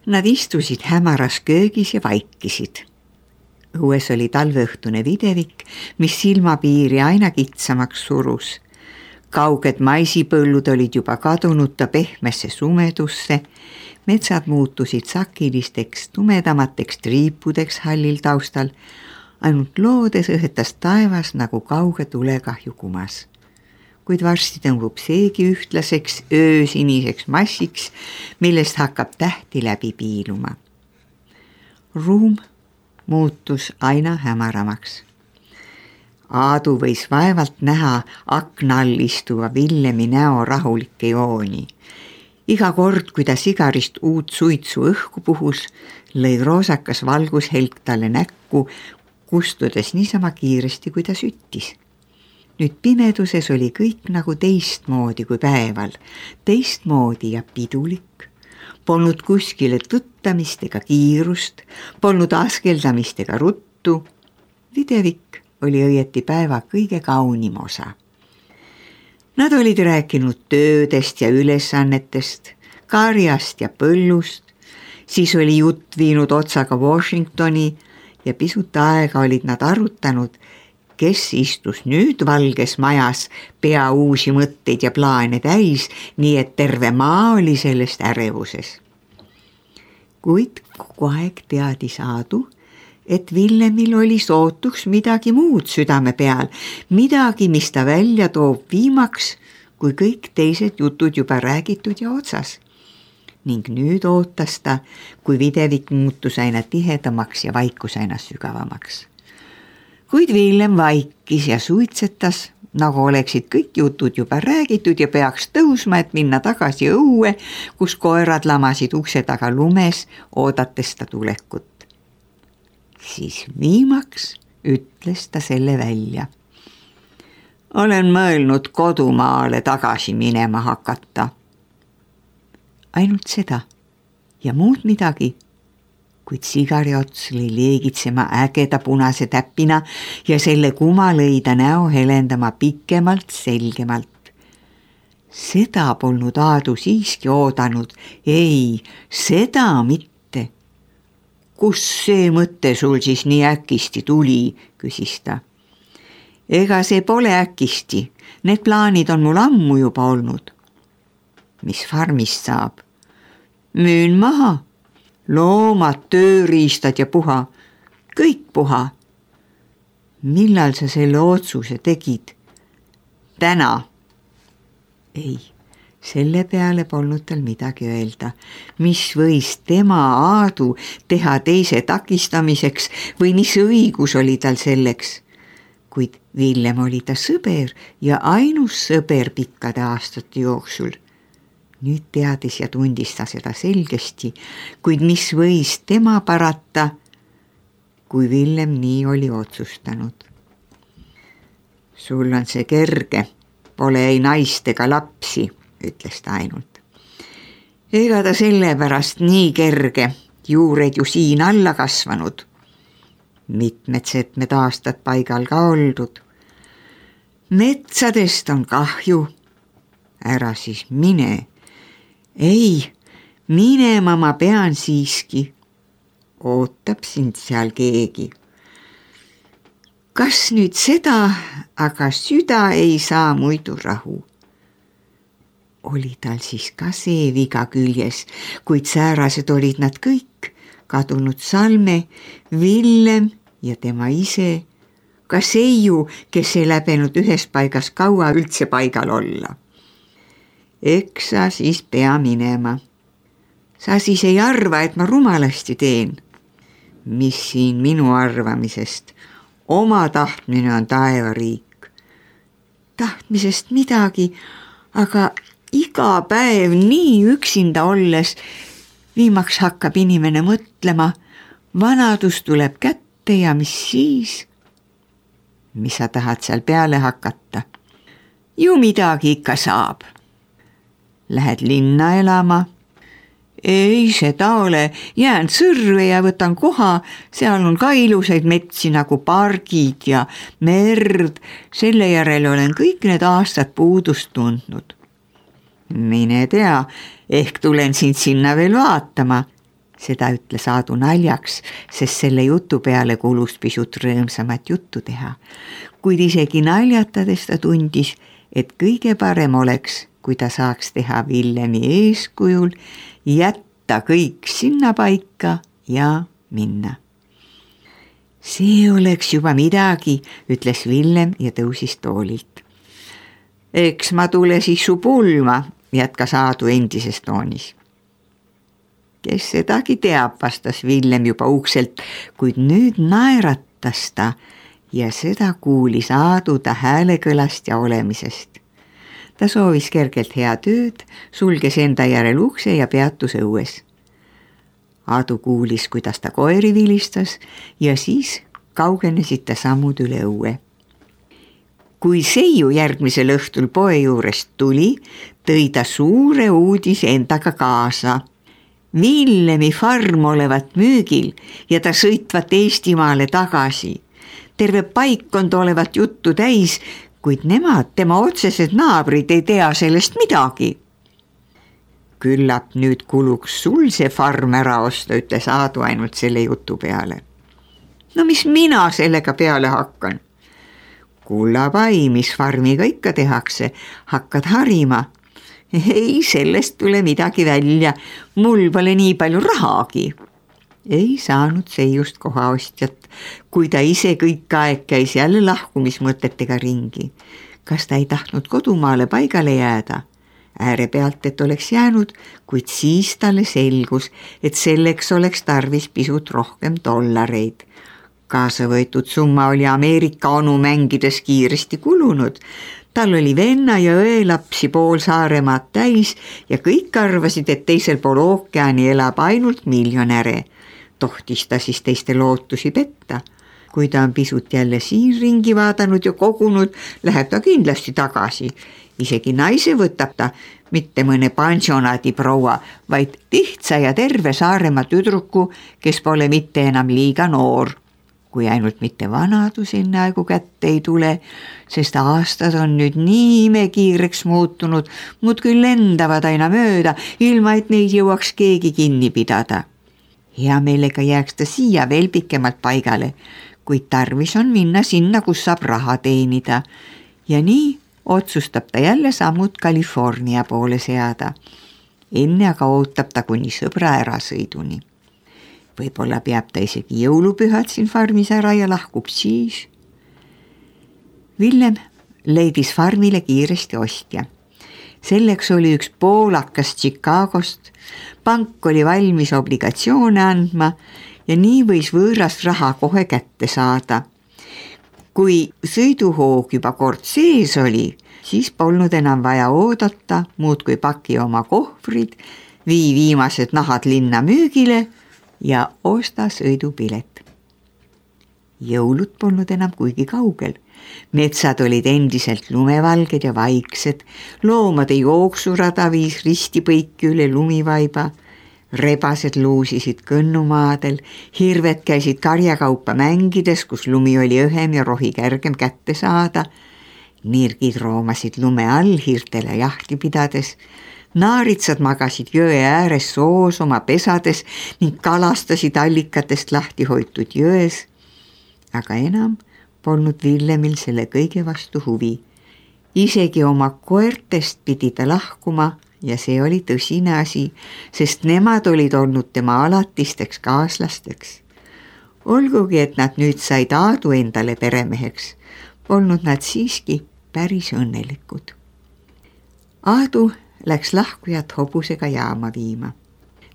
Nad istusid hämaras köögis ja vaikisid. Õues oli talveõhtune videvik, mis silmapiiri aina kitsamaks surus. Kauged maisipõllud olid juba kadunud ta pehmesse sumedusse, metsad muutusid sakilisteks tumedamateks triipudeks hallil taustal, ainult loodes õhetas taevas nagu kauge tulekahju kumas. Kuid varsti tõmbub seegi ühtlaseks öösiniseks massiks, millest hakkab tähti läbi piiluma. Ruum muutus aina hämaramaks. Aadu võis vaevalt näha akna all istuva Villemi näo rahulikke jooni. Iga kord, kui ta sigarist uut suitsu õhku puhus, lõi roosakas valgushelk talle näkku, kustudes niisama kiiresti, kui ta süttis. Nüüd pimeduses oli kõik nagu teistmoodi kui päeval, teistmoodi ja pidulik. Polnud kuskile tõttamist ega kiirust, polnud askeldamist ega ruttu. Videvik oli õieti päeva kõige kaunim osa. Nad olid rääkinud töödest ja ülesannetest, karjast ja põllust, siis oli jutt viinud otsaga Washingtoni ja pisut aega olid nad arutanud, kes istus nüüd valges majas pea uusi mõtteid ja plaane täis, nii et terve maa oli sellest ärevuses. Kuid kogu aeg teadis Aadu, et Villemil oli sootuks midagi muud südame peal, midagi, mis ta välja toob viimaks, kui kõik teised jutud juba räägitud ja otsas. Ning nüüd ootas ta, kui videvik muutus aina tihedamaks ja vaikus aina sügavamaks. Kuid Villem vaikis ja suitsetas, nagu oleksid kõik jutud juba räägitud ja peaks tõusma, et minna tagasi õue, kus koerad lamasid ukse taga lumes, oodates ta tulekut. Siis viimaks ütles ta selle välja. Olen mõelnud kodumaale tagasi minema hakata. Ainult seda ja muud midagi. Kuid sigari ots lõi leegitsema ägeda punase täppina ja selle kuma lõi ta näo helendama pikemalt, selgemalt. Seda polnud Aadu siiski oodanud, ei, seda mitte. Kus see mõte sul siis nii äkisti tuli, küsis ta. Ega see pole äkisti, need plaanid on mul ammu juba olnud. Mis farmist saab? Müün maha. Loomad, tööriistad ja puha, kõik puha. Millal sa selle otsuse tegid? Täna. Ei, selle peale polnud tal midagi öelda. Mis võis tema Aadu teha teise takistamiseks või mis õigus oli tal selleks? Kuid Villem oli ta sõber ja ainus sõber pikkade aastate jooksul. Nüüd teadis ja tundis ta seda selgesti, kuid mis võis tema parata, kui Villem nii oli otsustanud. Sul on see kerge, pole ei naist ega lapsi, ütles ta ainult. Ega ta sellepärast nii kerge, juured ju siin alla kasvanud. Mitmed aastad paigal ka oldud. Metsadest on kahju, ära siis mine. Ei, minema ma pean siiski. Ootab sind seal keegi. Kas nüüd seda, aga süda ei saa muidu rahu. Oli tal siis ka see viga küljes, kuid säärased olid nad kõik, kadunud Salme, Villem ja tema ise, ka Seiu, kes ei läbenud ühes paigas kaua üldse paigal olla. Eks sa siis pea minema. Sa siis ei arva, et ma rumalasti teen. Mis siin minu arvamisest? Oma tahtmine on taevariik. Tahtmisest midagi, aga iga päev nii üksinda olles viimaks hakkab inimene mõtlema, vanadus tuleb kätte ja mis siis? Mis sa tahad seal peale hakata? Ju midagi ikka saab. Lähed linna elama? Ei, seda ole, jään Sõrve ja võtan koha, seal on ka ilusaid metsi nagu pargid ja merd, selle järel olen kõik need aastad puudust tundnud. Mine tea, ehk tulen sind sinna veel vaatama. Seda ütles Aadu naljaks, sest selle jutu peale kulus pisut rõõmsamat juttu teha. Kuid isegi naljatades ta tundis, et kõige parem oleks, kui ta saaks teha Villemi eeskujul, jätta kõik sinna paika ja minna. See oleks juba midagi, ütles Villem ja tõusis toolilt. Eks ma tule siis su pulma, jätkas Aadu endises toonis. Kes sedagi teab, vastas Villem juba ukselt, kuid nüüd naeratas ta ja seda kuulis Aadu ta häälekõlast ja olemisest. Ta soovis kergelt head ööd, sulges enda järel ukse ja peatus õues. Aadu kuulis, kuidas ta koeri vilistas ja siis kaugenesid ta sammud üle õue. Kui Seiu järgmisel õhtul poe juurest tuli, tõi ta suure uudise endaga kaasa. Villemi farm olevat müügil ja ta sõitvat Eestimaale tagasi. Terve paikkond olevat juttu täis, kuid nemad, tema otsesed naabrid, ei tea sellest midagi. Küllap nüüd kuluks sul see farm ära osta, ütles Aadu ainult selle jutu peale. No mis mina sellega peale hakkan? Kullapai, mis farmiga ikka tehakse, hakkad harima. Ei, sellest tule midagi välja, mul pole nii palju rahagi. Ei saanud Seiust kohaostjat, kui ta ise kõik aeg käis jälle lahkumismõtetega ringi. Kas ta ei tahtnud kodumaale paigale jääda? Ääre pealt, et oleks jäänud, kuid siis talle selgus, et selleks oleks tarvis pisut rohkem dollareid. Kaasa võetud summa oli Ameerika onu mängides kiiresti kulunud. Tal oli venna ja õelapsi pool Saaremaad täis ja kõik arvasid, et teisel pool ookeani elab ainult miljonäre. Tohtis ta siis teiste lootusi petta. Kui ta on pisut jälle siin ringi vaadanud ja kogunud, läheb ta kindlasti tagasi. Isegi naise võtab ta, mitte mõne pensionaadi proua, vaid lihtsa ja terve Saaremaa tüdruku, kes pole mitte enam liiga noor. Kui ainult mitte vanadus enne aegu kätte ei tule, sest aastad on nüüd nii imekiireks muutunud, muudkui lendavad aina mööda, ilma et neid jõuaks keegi kinni pidada. Hea meelega jääks ta siia veel pikemalt paigale, kuid tarvis on minna sinna, kus saab raha teenida. Ja nii otsustab ta jälle sammud California poole seada. Enne aga ootab ta kuni sõbra ärasõiduni. Võib-olla peab ta isegi jõulupühad siin farmis ära ja lahkub siis. Villem leidis farmile kiiresti ostja. Selleks oli üks poolakas Chicagost, pank oli valmis obligatsioone andma ja nii võis võõrast raha kohe kätte saada. Kui sõiduhoog juba kord sees oli, siis polnud enam vaja oodata, muud kui paki oma kohvrid, vii viimased nahad linna müügile ja osta sõidupilet. Jõulud polnud enam kuigi kaugel. Metsad olid endiselt lumevalged ja vaiksed, loomade jooksurada viis ristipõiki üle lumivaiba, rebased luusisid kõnnumaadel, hirved käisid karjakaupa mängides, kus lumi oli õhem ja rohi kergem kätte saada, nirgid roomasid lume all hiirtele jahti pidades, naaritsad magasid jõe ääres soos oma pesades ning kalastasid allikatest lahti hoitud jões, aga enam polnud Villemil selle kõige vastu huvi. Isegi oma koertest pidi ta lahkuma ja see oli tõsine asi, sest nemad olid olnud tema alatisteks kaaslasteks. Olgugi, et nad nüüd said Aadu endale peremeheks, polnud nad siiski päris õnnelikud. Aadu läks lahkujat hobusega jaama viima.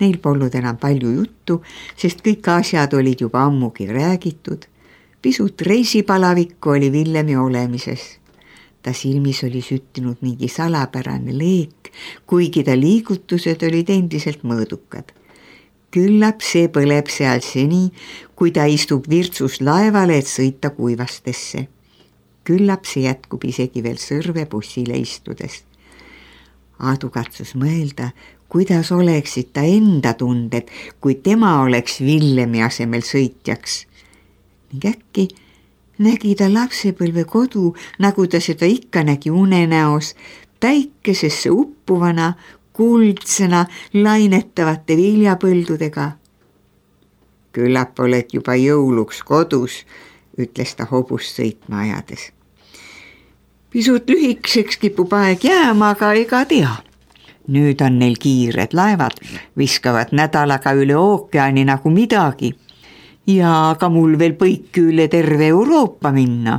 Neil polnud enam palju juttu, sest kõik asjad olid juba ammugi räägitud. Pisut reisipalavikku oli Villemi olemises. Ta silmis oli süttinud mingi salapärane leek, kuigi ta liigutused olid endiselt mõõdukad. Küllap see põleb seal seni, kui ta istub Virtsus laevale, et sõita Kuivastesse. Küllap see jätkub isegi veel Sõrvebussile istudes. Aadu katsus mõelda, kuidas oleksid ta enda tunded, kui tema oleks Villemi asemel sõitjaks. Ning äkki nägi ta lapsepõlve kodu, nagu ta seda ikka nägi unenäos, päikesesse uppuvana, kuldsena, lainetavate viljapõldudega, Küllap oled juba jõuluks kodus, ütles ta hobust sõitma ajades. Pisut lühikeseks kipub aeg jääma, aga ega tea. Nüüd on neil kiired laevad, viskavad nädalaga üle ookeani nagu midagi. Ja aga mul veel põiki üle terve Euroopa minna.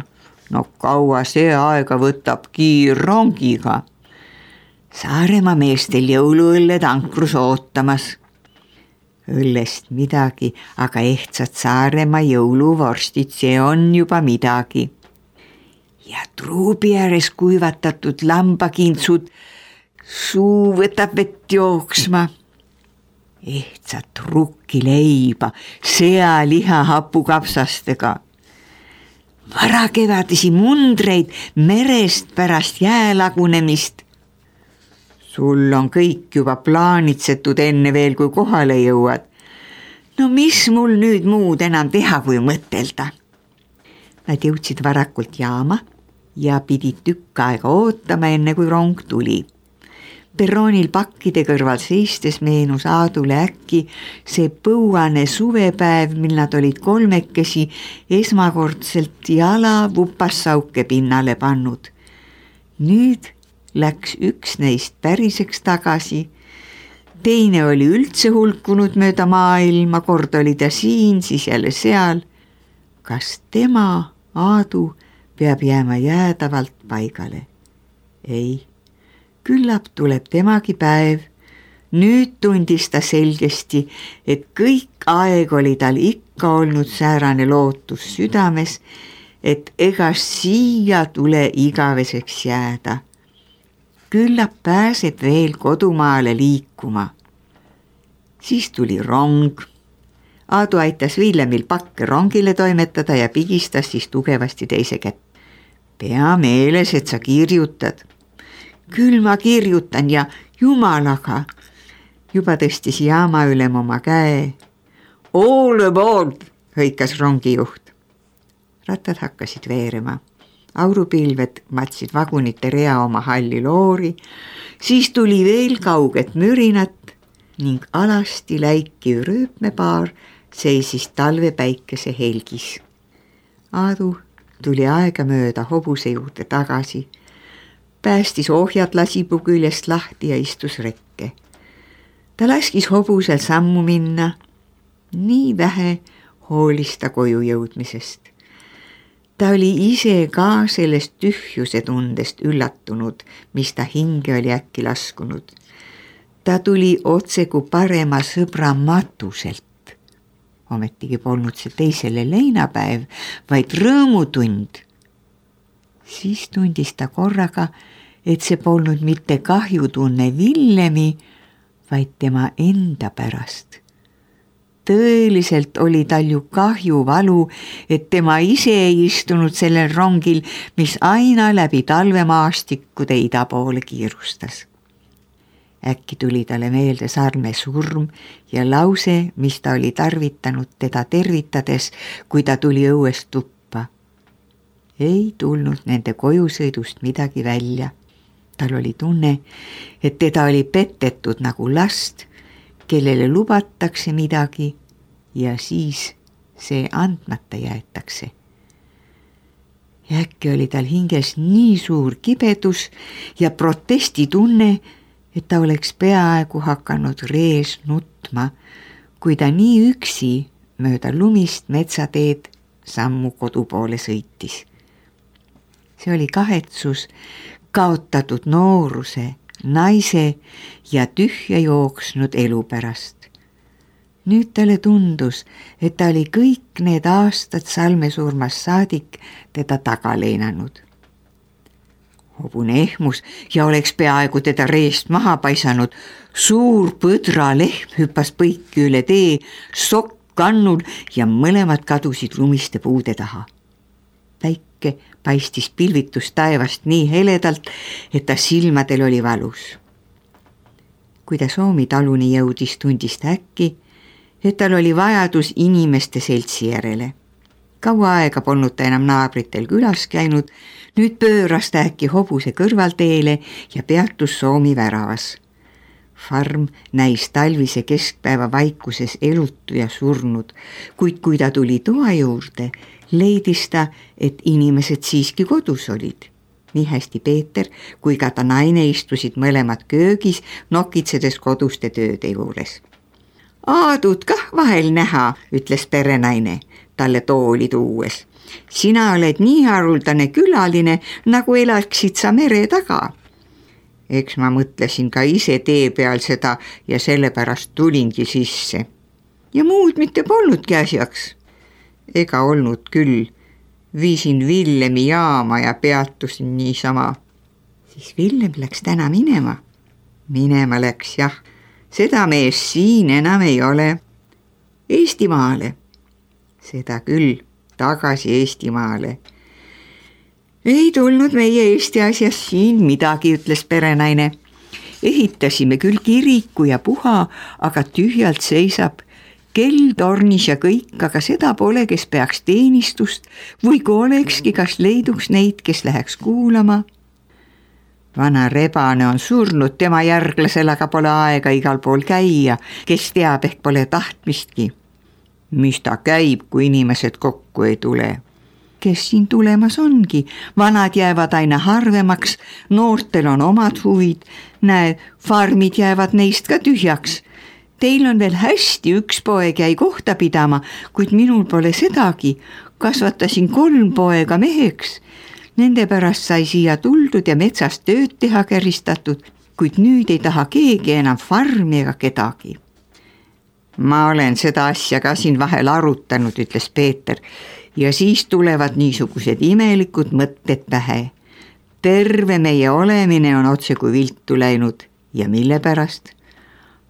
No kaua see aega võtab kiirrongiga. Saaremaa meestel jõuluõlled ankrus ootamas. Õllest midagi, aga ehtsad Saaremaa jõuluvorstid, see on juba midagi. Ja truubi ääres kuivatatud lambakintsud, suu võtab vett jooksma. Ehtsat rukkileiba, sealiha hapukapsastega. Varakevadisi mundreid merest pärast jäälagunemist. Sul on kõik juba plaanitsetud enne veel, kui kohale jõuad. No mis mul nüüd muud enam teha, kui mõtelda? Nad jõudsid varakult jaama ja pidid tükk aega ootama, enne kui rong tuli. Perroonil pakkide kõrval seistes meenus Aadule äkki see põuane suvepäev, mil nad olid kolmekesi esmakordselt jala vupassauke pinnale pannud. Nüüd läks üks neist päriseks tagasi, teine oli üldse hulkunud mööda maailma, kord oli ta siin, siis jälle seal. Kas tema, Aadu, peab jääma jäädavalt paigale? Ei. Küllap tuleb temagi päev. Nüüd tundis ta selgesti, et kõik aeg oli tal ikka olnud säärane lootus südames, et ega siia tule igaveseks jääda. Küllap pääseb veel kodumaale liikuma. Siis tuli rong. Aadu aitas Villemil pakke rongile toimetada ja pigistas siis tugevasti teise kätt. Pea meeles, et sa kirjutad. Küll ma kirjutan ja jumalaga. Juba tõstis jaama ülem oma käe. All aboard, hõikas rongijuht. Rattad hakkasid veerema. Aurupilved matsid vagunite rea oma halli loori, siis tuli veel kauget mürinat ning alasti läikiv rööpmepaar seisis talvepäikese helgis. Aadu tuli aegamööda hobuse juurde tagasi. Päästis ohjad lasipuu küljest lahti ja istus rekke. Ta laskis hobusel sammu minna. Nii vähe hoolis ta koju jõudmisest. Ta oli ise ka sellest tühjuse tundest üllatunud, mis ta hinge oli äkki laskunud. Ta tuli otseku parema sõbra matuselt. Ometigi polnud see teisele leinapäev, vaid rõõmutund. Siis tundis ta korraga, et see polnud mitte kahjutunne Villemi, vaid tema enda pärast. Tõeliselt oli tal ju kahjuvalu, et tema ise ei istunud sellel rongil, mis aina läbi talvemaastikkude ida poole kiirustas. Äkki tuli talle meelde Sarme surm ja lause, mis ta oli tarvitanud teda tervitades, kui ta tuli õuest tuppa. Ei tulnud nende kojusõidust midagi välja. Tal oli tunne, et teda oli petetud nagu last, kellele lubatakse midagi ja siis see andmata jäetakse. Ja äkki oli tal hinges nii suur kibedus ja protestitunne, et ta oleks peaaegu hakanud rees nutma, kui ta nii üksi mööda lumist metsateed sammu kodu poole sõitis. See oli kahetsus kaotatud nooruse, naise ja tühja jooksnud elu pärast. Nüüd talle tundus, et ta oli kõik need aastad Salme surmast saadik teda taga leinanud. Hobune ehmus ja oleks peaaegu teda reest maha paisanud. Suur põdra lehm hüppas põiki üle tee, sokk kannul ja mõlemad kadusid lumiste puude taha. Päike paistis pilvitust taevast nii heledalt, et ta silmadel oli valus. Kui ta Soomi taluni jõudis, tundis ta äkki, et tal oli vajadus inimeste seltsi järele. Kaua aega polnud ta enam naabritel külas käinud, nüüd pööras ta äkki hobuse kõrvalteele ja peatus Soomi väravas. Farm näis talvise keskpäeva vaikuses elutu ja surnud, kuid kui ta tuli toa juurde, leidis ta, et inimesed siiski kodus olid. Nii hästi Peeter kui ka ta naine istusid mõlemad köögis, nokitsedes koduste tööde juures. Aadut kah vahel näha, ütles perenaine talle tooli tuues. Sina oled nii haruldane külaline, nagu elaksid sa mere taga. Eks ma mõtlesin ka ise tee peal seda ja sellepärast tulingi sisse. Ja muud mitte polnudki asjaks. Ega olnud küll. Viisin Villemi jaama ja peatusin niisama. Siis Villem läks täna minema. Minema läks, jah. Seda mees siin enam ei ole. Eestimaale. Seda küll, tagasi Eestimaale. Ei tulnud meie Eesti asjas siin midagi, ütles perenaine. Ehitasime küll kiriku ja puha, aga tühjalt seisab. Kell tornis ja kõik, aga seda pole, kes peaks teenistust või kui olekski, kas leiduks neid, kes läheks kuulama. Vana Rebane on surnud, tema järglasel aga pole aega igal pool käia, kes teab, ehk pole tahtmistki. Mis ta käib, kui inimesed kokku ei tule? Kes siin tulemas ongi, vanad jäävad aina harvemaks, noortel on omad huvid, näed, farmid jäävad neist ka tühjaks. Teil on veel hästi, üks poeg jäi kohta pidama, kuid minul pole sedagi, kasvatasin 3 poega meheks. Nende pärast sai siia tuldud ja metsast tööd teha käristatud, kuid nüüd ei taha keegi enam farmi ega kedagi. Ma olen seda asja ka siin vahel arutanud, ütles Peeter, ja siis tulevad niisugused imelikud mõtted pähe. Terve meie olemine on otse kui viltu läinud ja mille pärast?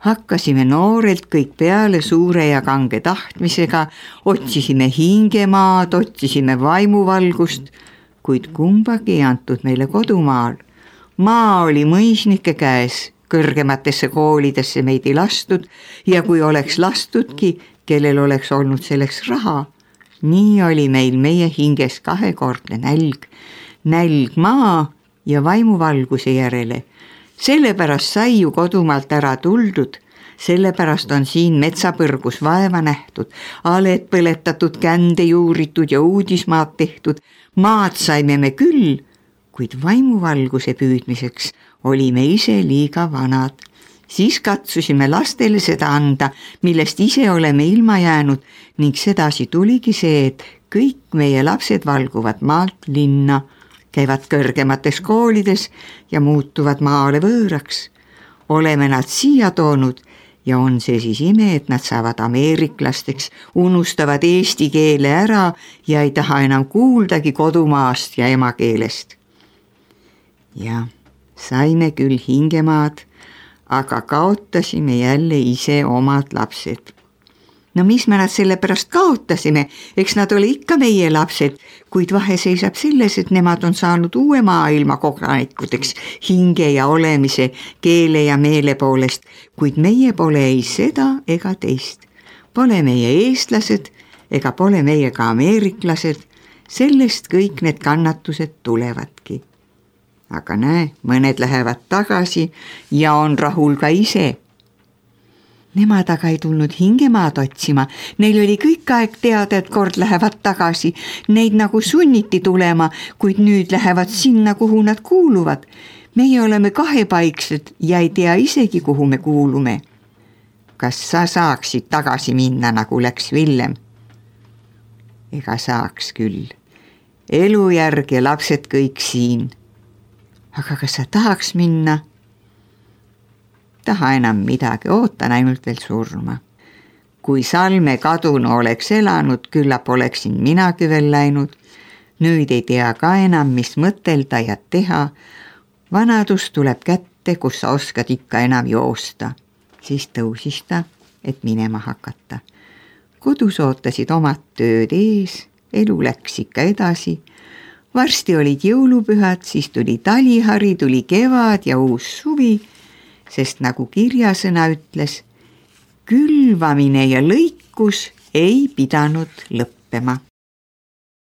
Hakkasime noorelt kõik peale suure ja kange tahtmisega, otsisime hingemaad, otsisime vaimuvalgust, kuid kumbagi ei antud meile kodumaal. Maa oli mõisnike käes, kõrgematesse koolidesse meid ei lastud ja kui oleks lastudki, kellel oleks olnud selleks raha. Nii oli meil meie hinges 2-kordne nälg. Nälg maa ja vaimuvalguse järele. Sellepärast sai ju kodumaalt ära tuldud, sellepärast on siin metsapõrgus vaeva nähtud, aled põletatud, kände juuritud ja uudismaad tehtud. Maad saime me küll, kuid vaimuvalguse püüdmiseks olime ise liiga vanad. Siis katsusime lastele seda anda, millest ise oleme ilma jäänud ning sedasi tuligi see, et kõik meie lapsed valguvad maalt linna, käivad kõrgemates koolides ja muutuvad maale võõraks. Oleme nad siia toonud ja on see siis ime, et nad saavad ameeriklasteks, unustavad eesti keele ära ja ei taha enam kuuldagi kodumaast ja emakeelest. Ja saime küll hingemaad, aga kaotasime jälle ise omad lapsed. No mis me nad selle pärast kaotasime, eks nad oli ikka meie lapsed, kuid vahe seisab selles, et nemad on saanud uue maailma kodanikudeks hinge ja olemise, keele ja meele poolest, kuid meie pole ei seda ega teist. Pole meie eestlased ega pole meie ka ameeriklased, sellest kõik need kannatused tulevadki. Aga näe, mõned lähevad tagasi ja on rahul ka ise. Nemad aga ei tulnud hingemaad otsima, neil oli kõik aeg teada, et kord lähevad tagasi, neid nagu sunniti tulema, kuid nüüd lähevad sinna, kuhu nad kuuluvad. Meie oleme kahepaiksed ja ei tea isegi, kuhu me kuulume. Kas sa saaksid tagasi minna, nagu läks Villem? Ega saaks küll. Elujärg ja lapsed kõik siin. Aga kas sa tahaks minna? Taha enam midagi, ootan ainult veel surma. Kui Salme kadunu oleks elanud, küllap oleksin minagi veel läinud. Nüüd ei tea ka enam, mis mõtelda ja teha. Vanadus tuleb kätte, kus sa oskad ikka enam joosta. Siis tõusis ta, et minema hakata. Kodus ootasid omad tööd ees, elu läks ikka edasi. Varsti olid jõulupühad, siis tuli talihari, tuli kevad ja uus suvi, sest nagu kirjasõna ütles, külvamine ja lõikus ei pidanud lõppema.